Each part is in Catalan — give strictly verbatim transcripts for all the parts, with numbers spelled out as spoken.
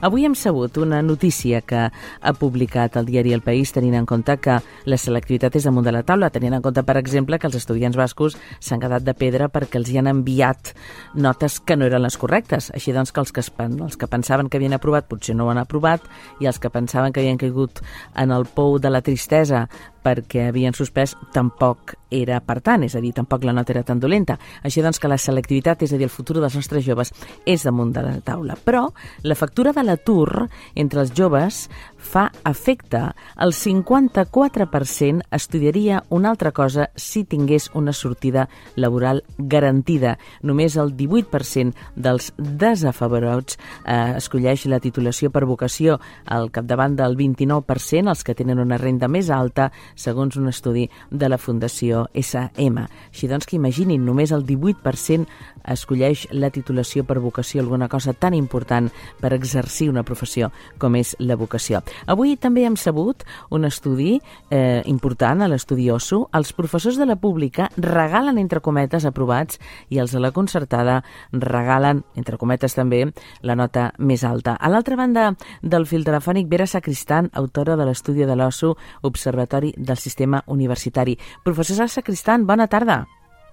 Avui hem sabut una notícia que ha publicat el diari El País, tenint en compte que la selectivitat és damunt de la taula, tenint en compte, per exemple, que els estudiants bascos s'han quedat de pedra perquè els hi han enviat notes que no eren les correctes. Així doncs que els que, els que pensaven que havien aprovat potser no ho han aprovat, i els que pensaven que havien caigut en el pou de la tristesa perquè havien suspès tampoc era per tant, és a dir, tampoc la nota era tan dolenta. Així doncs que la selectivitat, és a dir, el futur dels nostres joves, és damunt de la taula. Però la factura de l'atur entre els joves fa efecte. El cinquanta-quatre per cent estudiaria una altra cosa si tingués una sortida laboral garantida. Només el divuit per cent dels desafavorits eh, escolleix la titulació per vocació, al capdavant del vint-i-nou per cent els que tenen una renda més alta, segons un estudi de la Fundació S M. Així doncs que imaginin, només el divuit per cent escolleix la titulació per vocació, alguna cosa tan important per exercir una professió com és la vocació. Avui també hem sabut un estudi eh, important, a l'estudi O S U. Els professors de la pública regalen, entre cometes, aprovats, i els de la concertada regalen, entre cometes també, la nota més alta. A l'altra banda del fil telefònic, Vera Sacristán, autora de l'estudi de l'O S U, Observatori del Sistema Universitari. Professora Sacristán, bona tarda.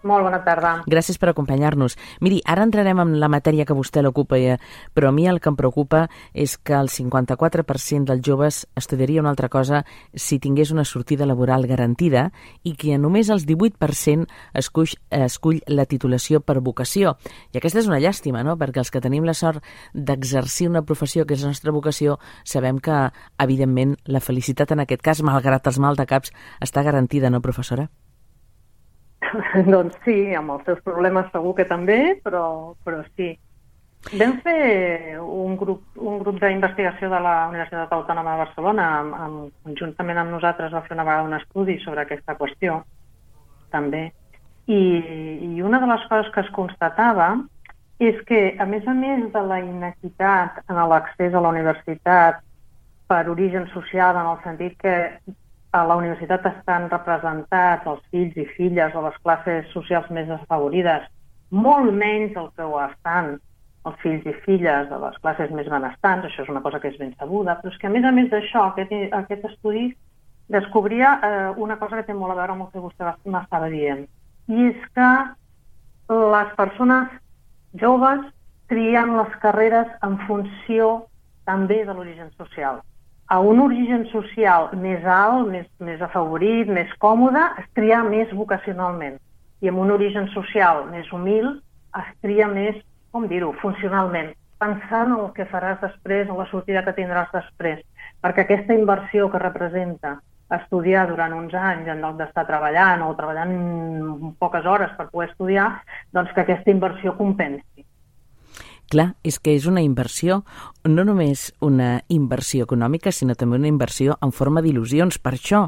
Molt bona tarda. Gràcies per acompanyar-nos. Miri, ara entrarem en la matèria que vostè l'ocupa, però a mi el que em preocupa és que el cinquanta-quatre per cent dels joves estudiaria una altra cosa si tingués una sortida laboral garantida, i que només el divuit per cent escull, escull la titulació per vocació. I aquesta és una llàstima, no?, perquè els que tenim la sort d'exercir una professió que és la nostra vocació sabem que, evidentment, la felicitat en aquest cas, malgrat els maldecaps, està garantida, no, professora? Doncs sí, amb els seus problemes segur que també, però, però sí. Vam fer un grup, un grup d'investigació de la Universitat Autònoma de Barcelona, amb, amb, conjuntament amb nosaltres va fer una vegada un estudi sobre aquesta qüestió, també. I, I una de les coses que es constatava és que, a més a més de la inequitat en l'accés a la universitat per origen social, en el sentit que a la universitat estan representats els fills i filles de les classes socials més desafavorides, molt menys del que ho estan els fills i filles de les classes més benestants. Això és una cosa que és ben sabuda, però és que a més a més d'això, aquest, aquest estudi descobria eh, una cosa que té molt a veure amb el que vostè m'estava dient, i és que les persones joves trien les carreres en funció també de l'origen social. A un origen social més alt, més, més afavorit, més còmode, es tria més vocacionalment. I amb un origen social més humil es tria més, com dir-ho, funcionalment, pensant en el que faràs després, en la sortida que tindràs després. Perquè aquesta inversió que representa estudiar durant uns anys en lloc d'estar treballant o treballant poques hores per poder estudiar, doncs que aquesta inversió compensi. Clar, és que és una inversió, no només una inversió econòmica, sinó també una inversió en forma d'il·lusions. Per això,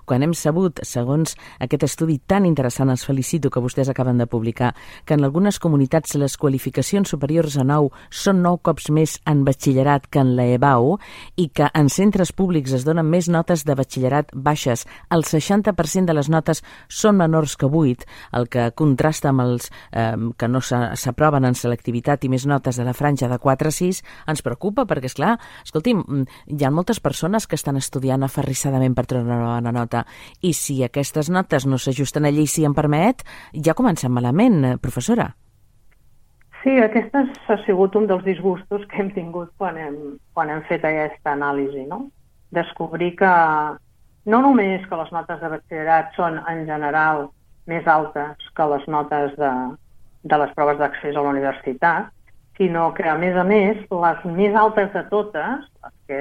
quan hem sabut, segons aquest estudi tan interessant, els felicito, que vostès acaben de publicar, que en algunes comunitats les qualificacions superiors a nou són nou cops més en batxillerat que en la E B A U, i que en centres públics es donen més notes de batxillerat baixes, el seixanta per cent de les notes són menors que vuit, el que contrasta amb els eh, que no s'aproven en selectivitat i més notes de la franja de quatre a sis, ens preocupa, perquè, esclar, escolti'm, hi ha moltes persones que estan estudiant aferrissadament per treure una bona nota, i si aquestes notes no s'ajusten allí, si em permet, ja comencem malament, professora. Sí, aquest ha sigut un dels disgustos que hem tingut quan hem, quan hem fet aquesta anàlisi, no? Descobrir que no només que les notes de batxillerat són, en general, més altes que les notes de, de les proves d'accés a la universitat, sinó que, a més a més, les més altes de totes, les que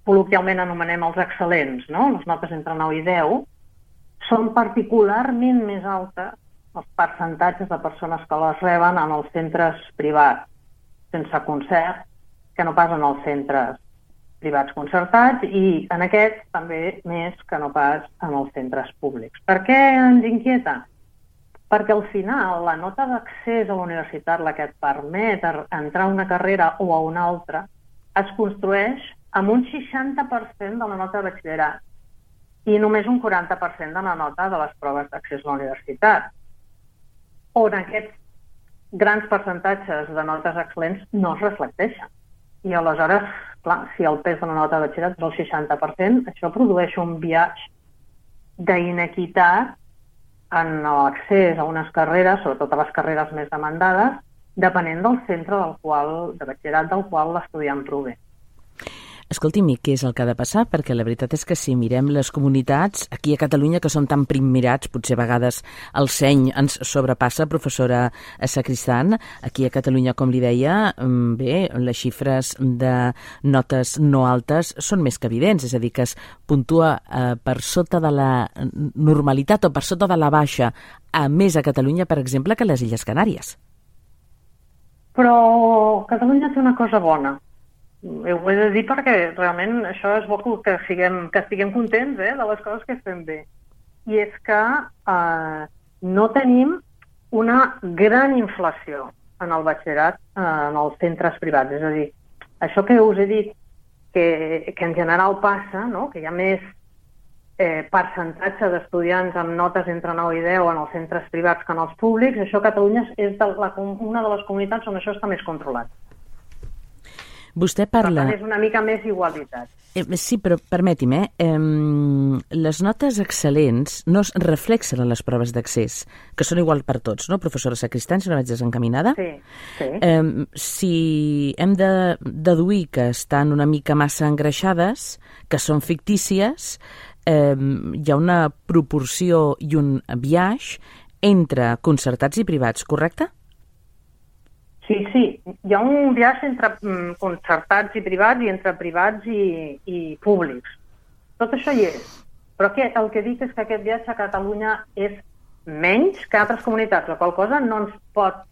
col·loquialment anomenem els excel·lents, no?, les notes entre nou i deu, són particularment més altes els percentatges de persones que les reben en els centres privats sense concert que no pas en els centres privats concertats, i en aquests també més que no pas en els centres públics. Per què ens inquieta? Perquè al final la nota d'accés a la universitat, la que et permet entrar a una carrera o a una altra, es construeix amb un seixanta per cent de la nota de batxillerat i només un quaranta per cent de la nota de les proves d'accés a la universitat, on aquests grans percentatges de notes excel·lents no es reflecteixen. I aleshores, clar, si el pes de la nota de batxillerat és el seixanta per cent, això produeix un biaix d'inequitat en l'accés a unes carreres, sobretot a les carreres més demandades, depenent del centre del qual, de batxillerat del qual l'estudiant prové. Escolti'm, i què és el que ha de passar? Perquè la veritat és que si mirem les comunitats, aquí a Catalunya, que són tan primmirats, potser a vegades el seny ens sobrepassa, professora Sacristán, aquí a Catalunya, com li deia, bé, les xifres de notes no altes són més que evidents, és a dir, que es puntua eh, per sota de la normalitat o per sota de la baixa, a més a Catalunya, per exemple, que a les Illes Canàries. Però Catalunya té una cosa bona. Ho he de dir perquè realment això és bo que siguem, que estiguem contents eh, de les coses que fem bé. I és que eh, no tenim una gran inflació en el batxillerat eh, en els centres privats. És a dir, això que us he dit que, que en general passa, no? Que hi ha més eh, percentatge d'estudiants amb notes entre nou i deu en els centres privats que en els públics, això a Catalunya és de la, una de les comunitats on això està més controlat. Vostè parla... Per tant, és una mica més igualitat. Eh, sí, però permeti'm, eh? eh? Les notes excel·lents no es reflexen en les proves d'accés, que són igual per tots, no, professora Sacristán, si no vaig desencaminada? Sí, sí. Eh, si hem de deduir que estan una mica massa engreixades, que són fictícies, eh, hi ha una proporció i un biaix entre concertats i privats, correcte? Sí, sí, hi ha un biaix entre mm, concertats i privats i entre privats i, i públics. Tot això hi és. Però que, el que dic és que aquest biaix a Catalunya és menys que altres comunitats, la qual cosa no ens pot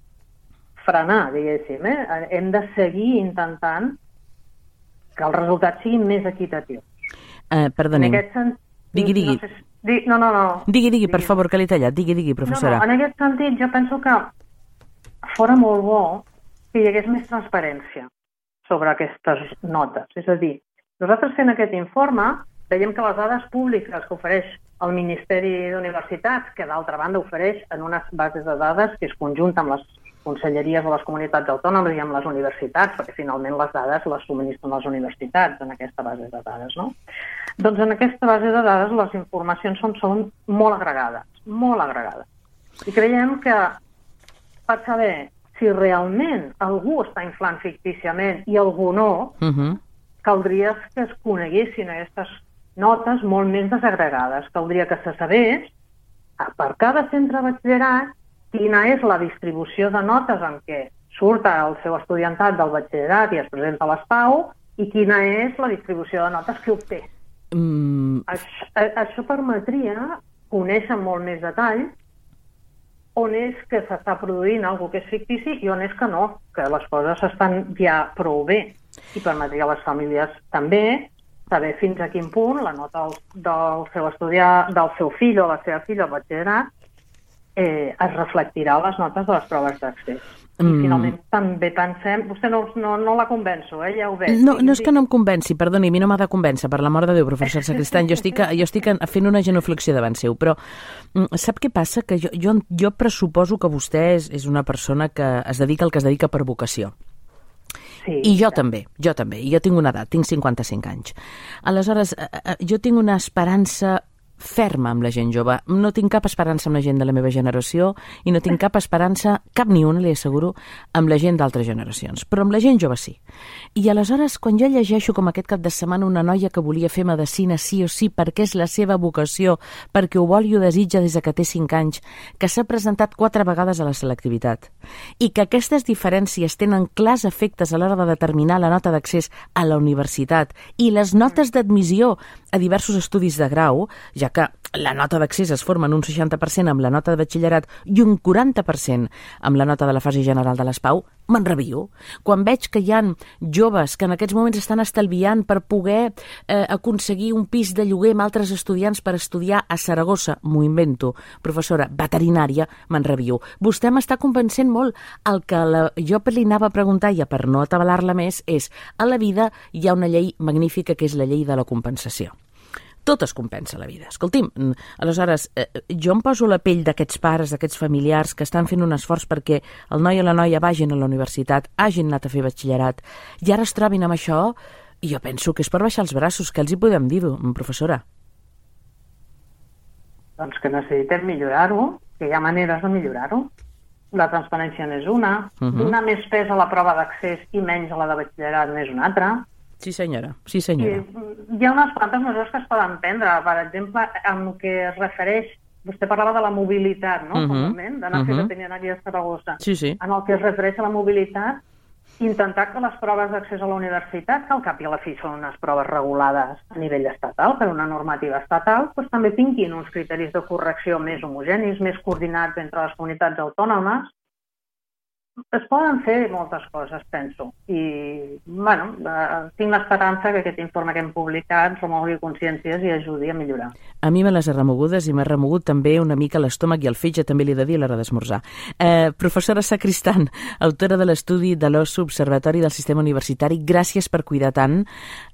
frenar, diguéssim. Eh? Hem de seguir intentant que els resultats siguin més equitatius. Uh, perdoni, sentit, digui, digui. No, sé, digui. No, no, no. Digui, digui, digui, per favor, que l'he tallat. Digui, digui, professora. No, no, en aquest sentit jo penso que fora molt bo que hi hagués més transparència sobre aquestes notes. És a dir, nosaltres fent aquest informe veiem que les dades públiques que ofereix el Ministeri d'Universitats, que d'altra banda ofereix en unes bases de dades que es conjunta amb les conselleries de les comunitats autònomes i amb les universitats, perquè finalment les dades les subministren les universitats en aquesta base de dades, no? Doncs en aquesta base de dades les informacions són, són molt agregades, molt agregades. I creiem que per saber si realment algú està inflant fictíciament i algú no, uh-huh. caldria que es coneguessin aquestes notes molt més desagregades. Caldria que se sabés per cada centre de batxillerat quina és la distribució de notes en què surt el seu estudiantat del batxillerat i es presenta a l'ESPAU i quina és la distribució de notes que obté. Mm. Això, això permetria conèixer molt més detall on és que s'està produint alguna cosa que és fictici i on és que no, que les coses estan ja prou bé. I permetria a les famílies també saber fins a quin punt la nota del, del seu estudiar, del seu fill o la seva filla al batxillerat eh, es reflectirà a les notes de les proves d'accés. I mm. finalment també pensem... Vostè no, no, no la convenço, eh? Ja ho veig. No, no és que no em convenci, perdoni, a mi no m'ha de convèncer, per l'amor de Déu, professor Sacristán, jo estic, jo estic fent una genuflexió davant seu, però sap què passa? Que jo, jo, jo pressuposo que vostè és, és una persona que es dedica al que es dedica per vocació. Sí, I jo ja. també, jo també, i jo tinc una edat, tinc cinquanta-cinc anys. Aleshores, jo tinc una esperança ferma amb la gent jove. No tinc cap esperança amb la gent de la meva generació i no tinc cap esperança, cap ni una, li asseguro, amb la gent d'altres generacions. Però amb la gent jove sí. I aleshores, quan jo llegeixo com aquest cap de setmana una noia que volia fer medicina sí o sí perquè és la seva vocació, perquè ho vol i ho desitja des que té cinc anys, que s'ha presentat quatre vegades a la selectivitat i que aquestes diferències tenen clars efectes a l'hora de determinar la nota d'accés a la universitat i les notes d'admissió a diversos estudis de grau, ja que la nota d'accés es forma en un seixanta per cent amb la nota de batxillerat i un quaranta per cent amb la nota de la fase general de l'ESPAU, m'enrabio. Quan veig que hi ha joves que en aquests moments estan estalviant per poder eh, aconseguir un pis de lloguer amb altres estudiants per estudiar a Saragossa, m'ho invento, professora, veterinària, m'enrabio. Vostè m'està convencent molt. El que la, jo li anava a preguntar, ja per no atabalar-la més, és a la vida hi ha una llei magnífica que és la llei de la compensació. tot es compensa a la vida. Escolti'm, aleshores, eh, jo em poso la pell d'aquests pares, d'aquests familiars que estan fent un esforç perquè el noi i la noia vagin a la universitat, hagin anat a fer batxillerat, i ara es trobin amb això, i jo penso que és per baixar els braços. Què els hi podem dir, professora? Doncs que necessitem millorar-ho, que hi ha maneres de millorar-ho. La transparència n'és una, uh -huh. donar més pes a la prova d'accés i menys a la de batxillerat n'és una altra. Sí, senyora. Sí, senyora. I hi ha unes quantes mesures que es poden prendre. Per exemple, en el que es refereix... Vostè parlava de la mobilitat, no? Uh -huh. D'anar a fer uh -huh. veterinari a Saragossa. Sí, sí. En el que es refereix a la mobilitat, intentar que les proves d'accés a la universitat, que al cap i a la fi són unes proves regulades a nivell estatal, per una normativa estatal, doncs també tinguin uns criteris de correcció més homogenis, més coordinats entre les comunitats autònomes. Es poden fer moltes coses, penso. I, bueno, eh, tinc l'esperança que aquest informe que hem publicat remogui consciències i ajudi a millorar. A mi me les ha remogudes i m'ha remogut també una mica l'estómac i el fetge, també li he de dir a l'hora d'esmorzar. Eh, professora Sacristán, autora de l'estudi de l'O S U Observatori del Sistema Universitari, gràcies per cuidar tant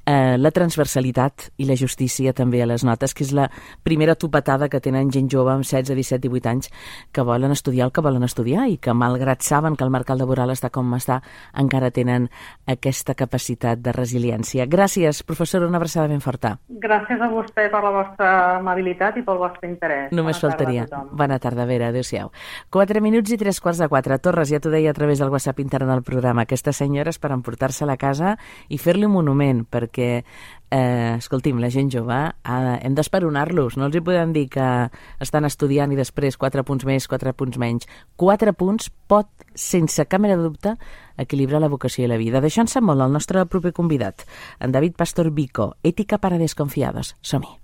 eh, la transversalitat i la justícia també a les notes, que és la primera topetada que tenen gent jove amb setze, disset, divuit anys que volen estudiar el que volen estudiar i que, malgrat saben que el mercat laboral està com està, encara tenen aquesta capacitat de resiliència. Gràcies, professora, una abraçada ben forta. Gràcies a vostè per la vostra amabilitat i pel vostre interès. Només faltaria. Bona tarda, Vera, adéu-siau. Quatre minuts i tres quarts de quatre. Torres, ja t'ho deia a través del WhatsApp intern del programa, aquesta senyora és per emportar-se a la casa i fer-li un monument, perquè Eh, escolti'm, la gent jove, eh, hem d'esperonar-los, no els hi podem dir que estan estudiant i després quatre punts més, quatre punts menys. Quatre punts pot, sense cap mena de dubte, equilibrar la vocació i la vida. D'això en sap molt el nostre proper convidat, en David Pastor Vico, Ètica para desconfiados. Som-hi.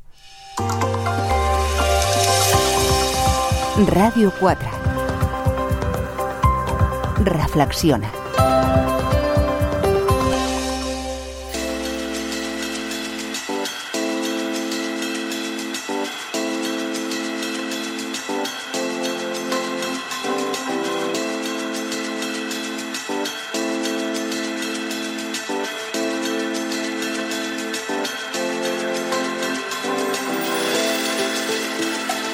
Ràdio quatre. Reflexiona.